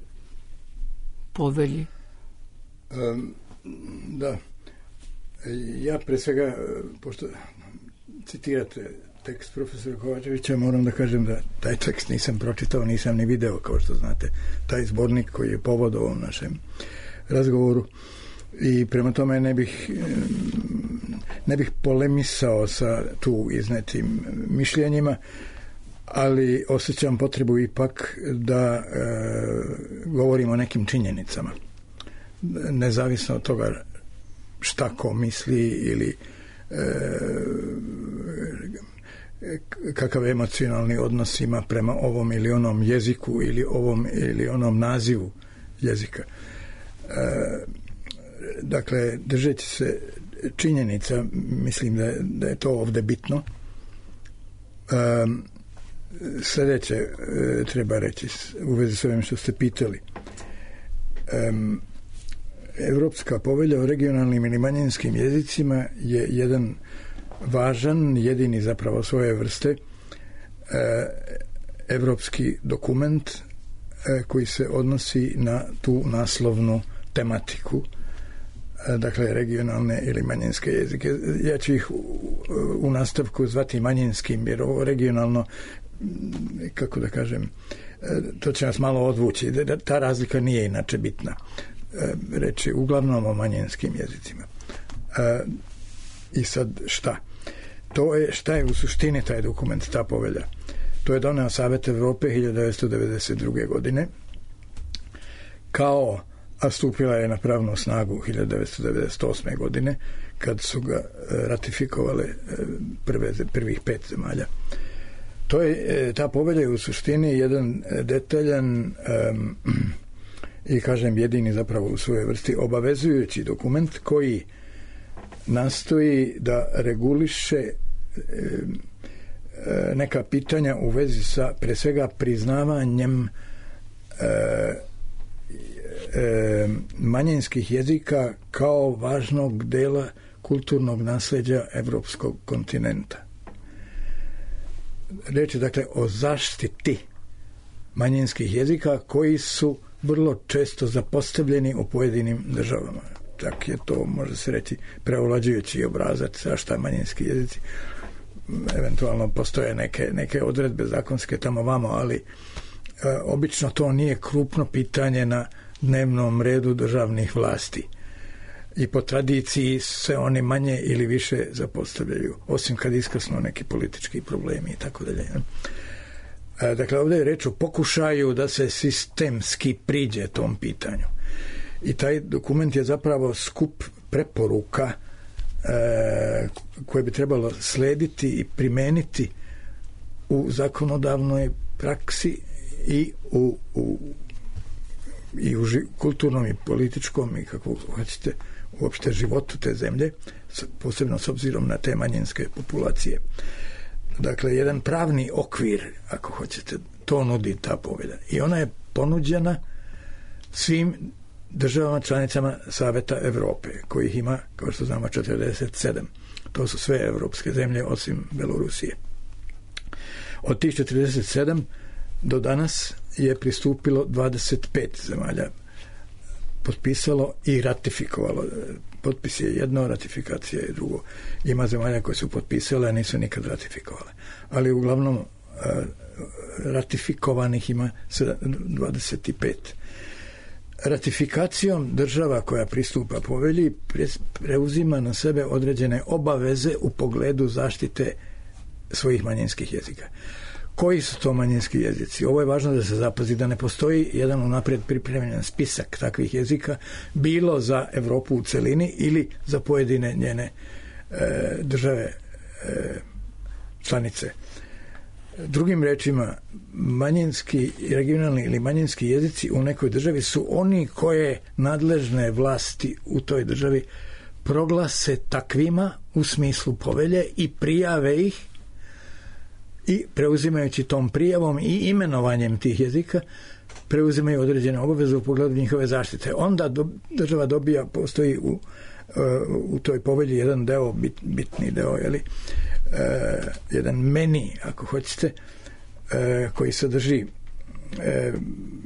[SPEAKER 1] povelji.
[SPEAKER 4] Da. Ja pre svega, pošto citirate tekst profesora Kovačevića, moram da kažem da taj tekst nisam pročitao, nisam ni video, kao što znate, taj zbornik koji je povod ovom našem razgovoru, i prema tome ne bih polemisao sa tu iznetim mišljenjima, ali osjećam potrebu ipak da govorim o nekim činjenicama, nezavisno od toga šta ko misli ili kakav emocionalni odnos ima prema ovom ili onom jeziku ili ovom ili onom nazivu jezika. Dakle, držeći se činjenica, mislim da je to ovde bitno. Sljedeće treba reći u vezi s ovim što ste pitali. Evropska povelja o regionalnim ili manjinskim jezicima je jedan važan, jedini zapravo svoje vrste evropski dokument koji se odnosi na tu naslovnu tematiku, dakle regionalne ili manjinske jezike. Ja ću ih u nastavku zvati manjinskim, jer ovo regionalno, kako da kažem, to će nas malo odvući. Ta razlika nije inače bitna. Reći uglavnom o manjinskim jezicima. I sad šta? Šta je u suštini taj dokument, ta povelja? To je doneo Savet Evrope 1992. godine, a stupila je na pravnu snagu 1998. godine, kad su ga ratifikovale prvih 5 zemalja. Ta povelja je u suštini jedan detaljan i, kažem, jedini zapravo u svojoj vrsti obavezujući dokument koji nastoji da reguliše neka pitanja u vezi sa, pre svega, priznavanjem manjinskih jezika kao važnog dela kulturnog nasleđa evropskog kontinenta. Reč je dakle o zaštiti manjinskih jezika koji su vrlo često zapostavljeni u pojedinim državama. Čak je to, može se reći, preovlađujući obrazac šta manjinski jezici. Eventualno postoje neke odredbe zakonske tamo vamo, ali obično to nije krupno pitanje na dnevnom redu državnih vlasti. I po tradiciji se oni manje ili više zapostavljaju, osim kad iskrsnu neki politički problemi i tako dalje. Dakle, ovdje je reč o pokušaju da se sistemski priđe tom pitanju. I taj dokument je zapravo skup preporuka koje bi trebalo slediti i primeniti u zakonodavnoj praksi i u kulturnom i političkom i kako hoćete uopšte životu te zemlje, posebno s obzirom na te manjinske populacije. Dakle, jedan pravni okvir, ako hoćete to nudi ta povelja. I ona je ponuđena svim državama članicama Saveta Evrope, kojih ima, kao što znamo, 47. To su sve evropske zemlje osim Belorusije. Od tih 47 do danas je pristupilo 25 zemalja, potpisalo i ratifikovalo. Potpis je jedno, ratifikacija je drugo. Ima zemalja koje su potpisale, a nisu nikad ratifikovale. Ali uglavnom ratifikovanih ima 25. Ratifikacijom država koja pristupa povelji preuzima na sebe određene obaveze u pogledu zaštite svojih manjinskih jezika. Koji su to manjinski jezici? Ovo je važno da se zapazi da ne postoji jedan unaprijed pripremljen spisak takvih jezika, bilo za Evropu u celini ili za pojedine njene države članice. Drugim rečima, manjinski, regionalni ili manjinski jezici u nekoj državi su oni koje nadležne vlasti u toj državi proglase takvima u smislu povelje i prijave ih, i preuzimajući tom prijavom i imenovanjem tih jezika preuzimaju određene obaveze u pogledu njihove zaštite. Onda država dobija, postoji u toj povelji jedan deo, bitni deo, jedan meni, ako hoćete, koji sadrži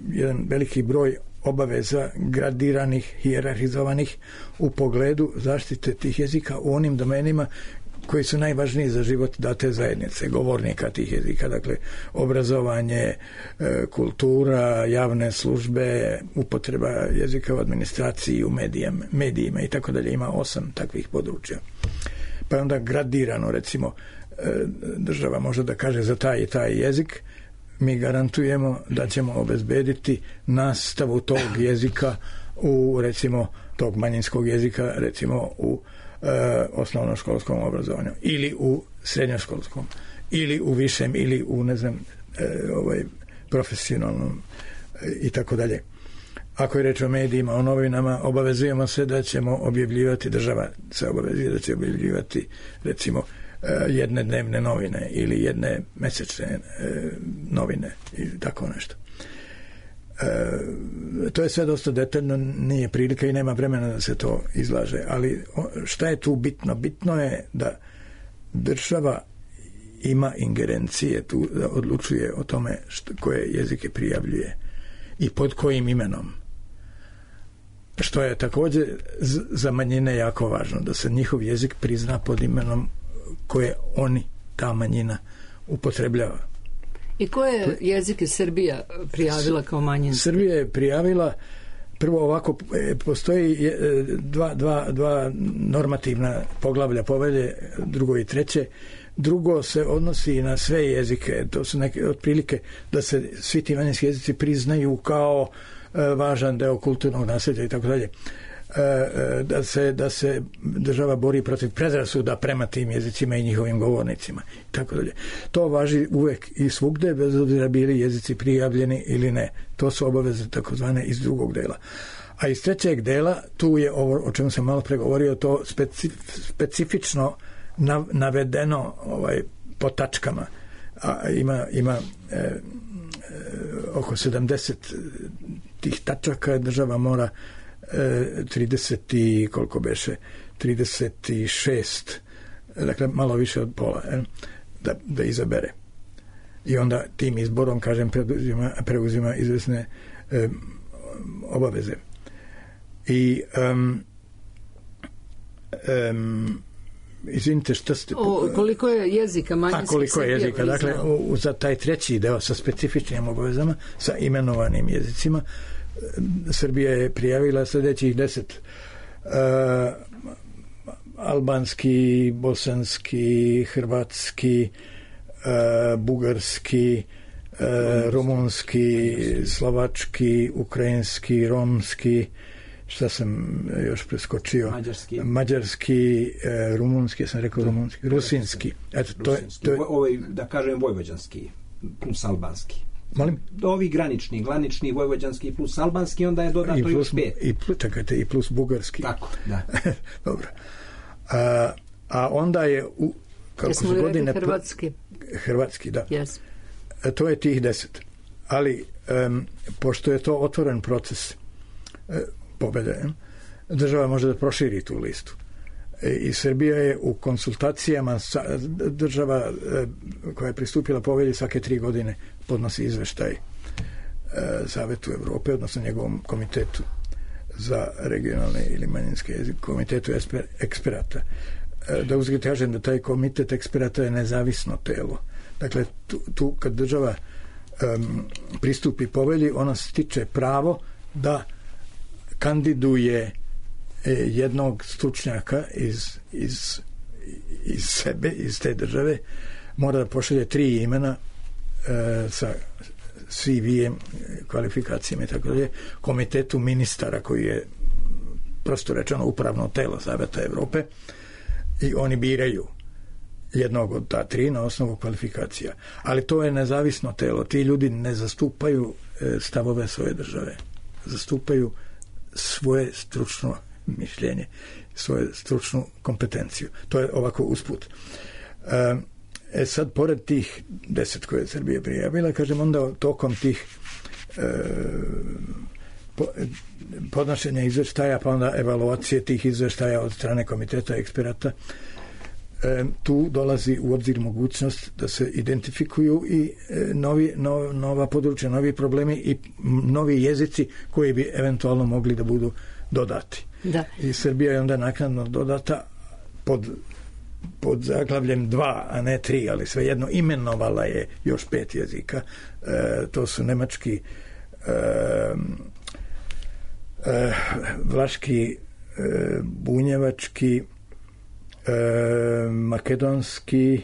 [SPEAKER 4] jedan veliki broj obaveza gradiranih, hijerarhizovanih u pogledu zaštite tih jezika u onim domenima koji su najvažniji za život date zajednice, govornika tih jezika, dakle obrazovanje, kultura, javne službe, upotreba jezika u administraciji, u medijima i tako dalje. Ima 8 takvih područja. Pa onda gradirano, recimo, država može da kaže za taj i taj jezik, mi garantujemo da ćemo obezbediti nastavu tog jezika u, recimo, tog manjinskog jezika, recimo u osnovnoškolskom obrazovanju ili u srednjoškolskom ili u višem ili u, ne znam, profesionalnom i tako dalje. Ako je reč o medijima, o novinama, obavezujemo se da ćemo objavljivati, država se obavezuje da će objavljivati, recimo, jedne dnevne novine ili jedne mesečne novine i tako nešto. To je sve dosta detaljno, nije prilika i nema vremena da se to izlaže, ali šta je tu bitno? Bitno je da država ima ingerencije tu, da odlučuje o tome koje jezike prijavljuje i pod kojim imenom, što je također za manjine jako važno, da se njihov jezik prizna pod imenom koje ta manjina upotrebljava.
[SPEAKER 1] I koje jezike Srbija prijavila kao manjinski?
[SPEAKER 4] Srbija je prijavila, prvo ovako, postoji dva normativna poglavlja povelje, drugo i treće. Drugo se odnosi na sve jezike, to su neke otprilike da se svi ti manjinski jezici priznaju kao važan deo kulturnog nasljeđa i tako dalje. Da se država bori protiv predrasuda prema tim jezicima i njihovim govornicima i tako dalje. To važi uvek i svugde, bez obzira bili jezici prijavljeni ili ne. To su obaveze takozvane iz drugog dela. A iz trećeg dela, tu je ovo o čemu sam malo pregovorio, to specifično navedeno po tačkama. Ima oko 70 tih tačaka, država mora 36, dakle malo više od pola, da izabere. I onda tim izborom, kažem, preuzima izvesne obaveze. I izvinite, što ste...
[SPEAKER 1] koliko je jezika manjinskih?
[SPEAKER 4] Koliko je jezika, dakle, za taj treći deo sa specifičnim obavezama, sa imenovanim jezicima, Srbija je prijavila sljedećih 10: albanski, bosanski, hrvatski, bugarski, rumunski, slovački, ukrajinski, romski, šta sam još preskočio? Mađarski, rumunski, ja sam rekao rumunski, rusinski. Eto, to je...
[SPEAKER 5] da kažem vojvođanski plus albanski.
[SPEAKER 4] Molim?
[SPEAKER 5] Ovi granični, vojvođanski plus albanski, onda je dodato još 5.
[SPEAKER 4] Čekajte, i plus bugarski.
[SPEAKER 5] Tako, da.
[SPEAKER 4] Dobro. A onda je
[SPEAKER 1] kako su godine...
[SPEAKER 4] Hrvatski, da.
[SPEAKER 1] Yes.
[SPEAKER 4] To je tih 10. Ali pošto je to otvoren proces pobjede, država može da proširi tu listu. I Srbija je u konsultacijama država koja je pristupila povelji svake 3 godine podnosi izveštaj Savetu Evrope, odnosno njegovom komitetu za regionalne ili manjinske jezike, komitetu eksperata. Da uzgled kažem da taj komitet eksperata je nezavisno telo. Dakle, tu kad država pristupi povelji, ona stiče pravo da kandiduje jednog stručnjaka iz sebe, iz te države, mora da pošalje 3 imena sa CV-em, kvalifikacijama i tako dalje, komitetu ministara koji je prosto rečeno upravno telo Saveta Evrope, i oni biraju jednog od ta 3 na osnovu kvalifikacija. Ali to je nezavisno telo. Ti ljudi ne zastupaju stavove svoje države. Zastupaju svoje stručno mišljenje, svoju stručnu kompetenciju. To je ovako usput. Sad, pored tih 10 koje je Srbija prijavila, kažem, onda tokom tih podnošenja izveštaja, pa onda evaluacije tih izveštaja od strane komiteta eksperata, tu dolazi u obzir mogućnost da se identifikuju i nova područja, novi problemi i novi jezici koji bi eventualno mogli da budu dodati. Da. I Srbija je onda naknadno dodata pod zaglavljem 2, a ne 3, ali svejedno imenovala je još 5 jezika. To su nemački, vlaški, bunjevački, makedonski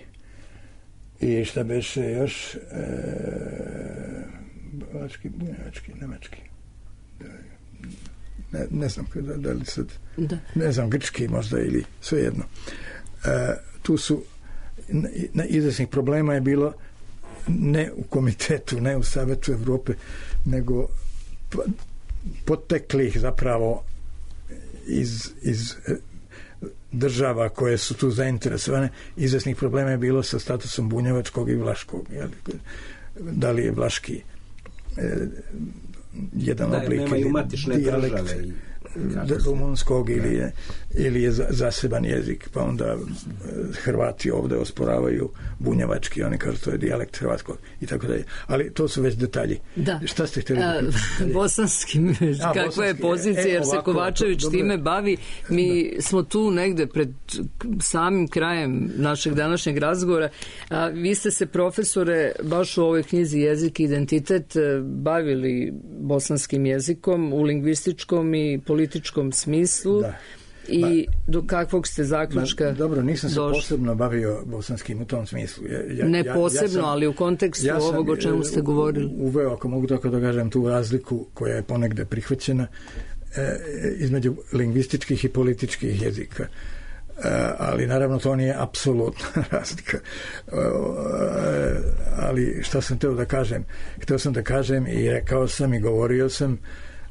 [SPEAKER 4] i šta beše još, vlaški, bunjevački, nemački. Ne znam da li sad, ne znam, grčki možda ili svejedno. Tu su izvesnih problema je bilo ne u komitetu, ne u Savetu Evrope, nego poteklih zapravo iz država koje su tu zainteresovane. Izvesnih problema je bilo sa statusom bunjevačkog i vlaškog. Da li je vlaški jedan oblik dijalekt rumunskog ili je zaseban jezik, pa onda Hrvati ovde osporavaju bunjevački, oni kažu to je dijalekt hrvatskog i tako dalje. Ali to su već detalji. Da. Šta ste htjeli?
[SPEAKER 1] Bosanski, kakva je pozicija, jer se Kovačević time bavi. Mi smo tu negde pred samim krajem našeg današnjeg razgovora. Vi ste se, profesore, baš u ovoj knjizi Jezik i identitet bavili bosanskim jezikom u lingvističkom i političkom smislu. Da. I do kakvog ste zaključka
[SPEAKER 4] dobro, nisam se posebno bavio bosanskim u tom smislu.
[SPEAKER 1] Ne posebno, ali u kontekstu ovog o čemu ste govorili.
[SPEAKER 4] Uveo, ako mogu tako da kažem, tu razliku koja je ponegde prihvaćena između lingvističkih i političkih jezika. Ali naravno to nije apsolutna razlika. Ali šta sam hteo da kažem? Hteo sam da kažem i rekao sam i govorio sam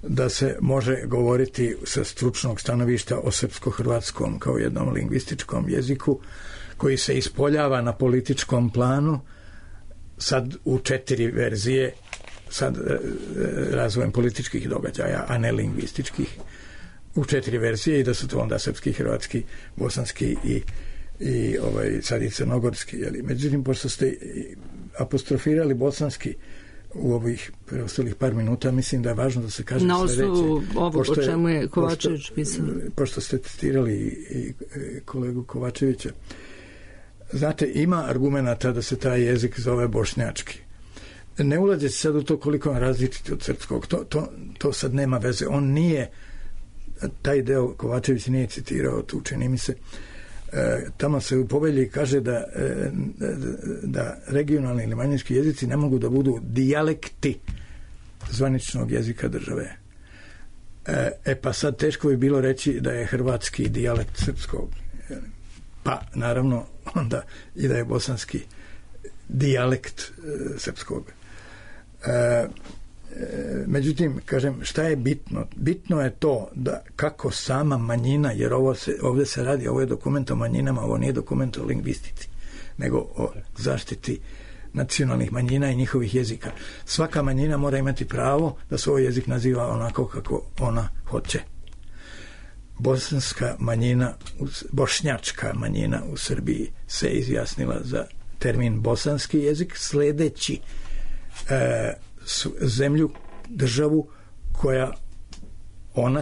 [SPEAKER 4] da se može govoriti sa stručnog stanovišta o srpsko-hrvatskom kao jednom lingvističkom jeziku koji se ispoljava na političkom planu sad u 4 verzije, sad razvojem političkih događaja, a ne lingvističkih, u 4 verzije, i da su to onda srpski, hrvatski, bosanski i sad i crnogorski. Međutim, pošto ste apostrofirali bosanski u ovih preostalih par minuta, mislim da je važno da se kaže
[SPEAKER 1] na osnovu ovog o čemu je Kovačević pisao.
[SPEAKER 4] Pošto ste citirali i kolegu Kovačevića, znate, ima argumenta da se taj jezik zove bošnjački. Ne ulazi se sad u to koliko on različiti od srpskog. To sad nema veze. On nije, taj deo Kovačević nije citirao tu, čini mi se. Tamo se u povelji kaže da regionalni ili manjinski jezici ne mogu da budu dijalekti zvaničnog jezika države. Pa sad teško bi bilo reći da je hrvatski dijalekt srpskog. Pa naravno onda i da je bosanski dijalekt srpskog. Međutim, kažem, šta je bitno? Bitno je to da kako sama manjina, jer ovdje se radi, ovo je dokument o manjinama, ovo nije dokument o lingvistici, nego o zaštiti nacionalnih manjina i njihovih jezika. Svaka manjina mora imati pravo da svoj jezik naziva onako kako ona hoće. Bošnjačka manjina u Srbiji se izjasnila za termin bosanski jezik, sledeći zemlju, državu koja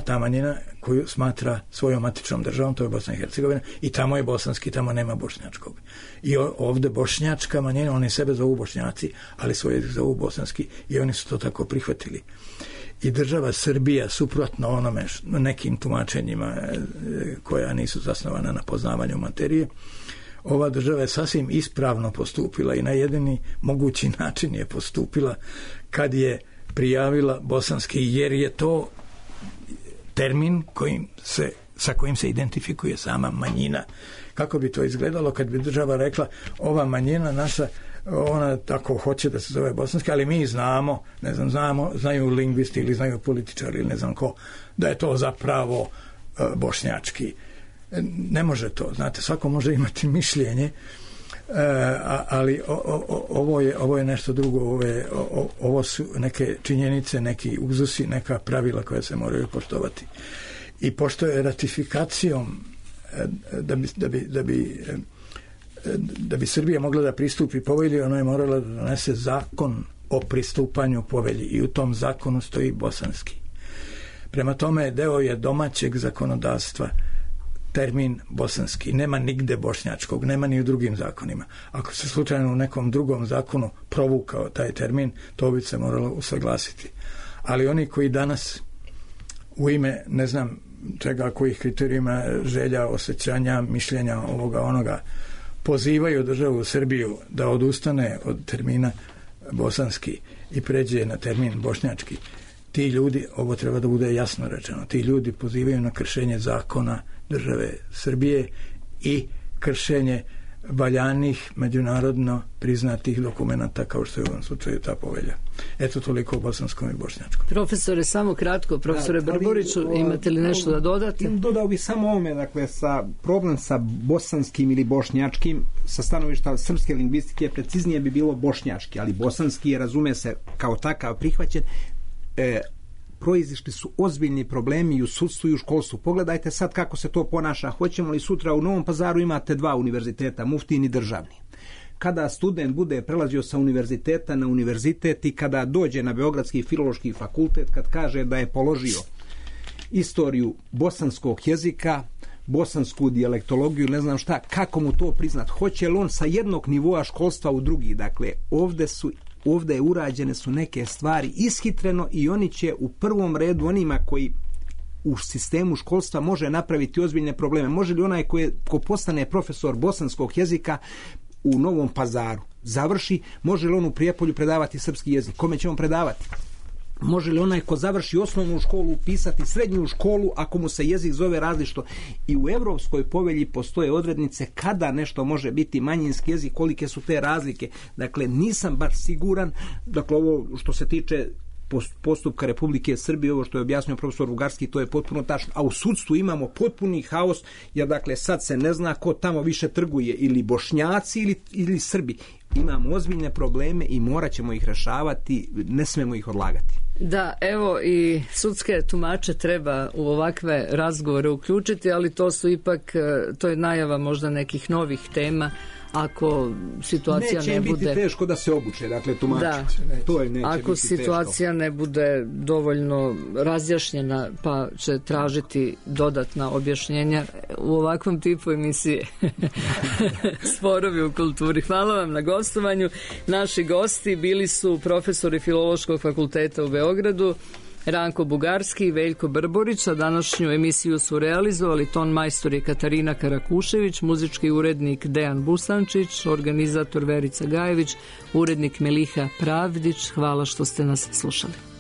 [SPEAKER 4] ta manjina koju smatra svojom matičnom državom, to je Bosna i Hercegovina, i tamo je bosanski, tamo nema bošnjačkog. I ovde bošnjačka manjina, oni sebe zovu Bošnjaci, ali svoj jezik zovu bosanski i oni su to tako prihvatili. I država Srbija, suprotno onome nekim tumačenjima koja nisu zasnovana na poznavanju materije, ova država je sasvim ispravno postupila i na jedini mogući način je postupila kad je prijavila bosanski, jer je to termin sa kojim se identifikuje sama manjina. Kako bi to izgledalo kad bi država rekla ova manjina naša, ona tako hoće da se zove bosanski, ali mi znamo, znaju lingvisti ili znaju političari ili ne znam ko, da je to zapravo bošnjački. Ne može to, znate, svako može imati mišljenje, ali ovo je nešto drugo, ovo su neke činjenice, neki uzusi, neka pravila koja se moraju poštovati. I pošto je ratifikacijom da bi Srbija mogla da pristupi povelji, ona je morala da donese zakon o pristupanju povelji i u tom zakonu stoji bosanski. Prema tome, deo je domaćeg zakonodavstva termin bosanski. Nema nigde bošnjačkog, nema ni u drugim zakonima. Ako se slučajno u nekom drugom zakonu provukao taj termin, to bi se moralo usaglasiti. Ali oni koji danas u ime, ne znam čega, kojih kriterijima, želja, osjećanja, mišljenja, ovoga, onoga, pozivaju državu Srbiju da odustane od termina bosanski i pređe na termin bošnjački, ti ljudi, ovo treba da bude jasno rečeno, ti ljudi pozivaju na kršenje zakona države Srbije i kršenje valjanih međunarodno priznatih dokumenata kao što je u ovom slučaju ta povelja. Eto toliko o bosanskom i bošnjačkom.
[SPEAKER 1] Profesore, samo kratko, profesore Brboriću, imate li nešto da dodate?
[SPEAKER 5] Dodao bih samo ovome, dakle, problem sa bosanskim ili bošnjačkim sa stanovišta srpske lingvistike preciznije bi bilo bošnjački, ali bosanski je, razume se, kao takav prihvaćen. Proizišli su ozbiljni problemi i u sudstvu i u školstvu. Pogledajte sad kako se to ponaša. Hoćemo li sutra u Novom Pazaru imate 2 univerziteta, muftijin i državni. Kada student bude prelazio sa univerziteta na univerzitet i kada dođe na Beogradski filološki fakultet, kad kaže da je položio istoriju bosanskog jezika, bosansku dijalektologiju, ne znam šta, kako mu to priznat? Hoće li on sa jednog nivoa školstva u drugi? Dakle, ovdje urađene su neke stvari ishitreno i oni će u prvom redu onima koji u sistemu školstva može napraviti ozbiljne probleme. Može li onaj ko postane profesor bosanskog jezika u Novom Pazaru završi, može li on u Prijepolju predavati srpski jezik? Kome će on predavati? Može li onaj ko završi osnovnu školu upisati srednju školu ako mu se jezik zove različito? I u Evropskoj povelji postoje odrednice kada nešto može biti manjinski jezik, kolike su te razlike. Dakle, nisam baš siguran, dakle, ovo što se tiče postupka Republike Srbije, ovo što je objasnio profesor Bugarski, to je potpuno tačno. A u sudstvu imamo potpuni haos, jer dakle sad se ne zna ko tamo više trguje, ili Bošnjaci ili Srbi. Imamo ozbiljne probleme i morat ćemo ih rešavati, ne smemo ih odlagati.
[SPEAKER 1] Da, evo i sudske tumače treba u ovakve razgovore uključiti, ali to su ipak, to je najava možda nekih novih tema. Ako situacija
[SPEAKER 5] neće
[SPEAKER 1] ne bude...
[SPEAKER 5] Neće biti teško da se obuče, dakle, tumači.
[SPEAKER 1] Da,
[SPEAKER 5] to neće
[SPEAKER 1] ako
[SPEAKER 5] biti
[SPEAKER 1] situacija
[SPEAKER 5] teško.
[SPEAKER 1] Ne bude dovoljno razjašnjena, pa će tražiti dodatna objašnjenja u ovakvom tipu emisije. Sporovi u kulturi. Hvala vam na gostovanju. Naši gosti bili su profesori Filološkog fakulteta u Beogradu, Ranko Bugarski i Veljko Brborić, a današnju emisiju su realizovali ton majstor je Katarina Karakušević, muzički urednik Dejan Busančić, organizator Verica Gajević, urednik Meliha Pravdić. Hvala što ste nas slušali.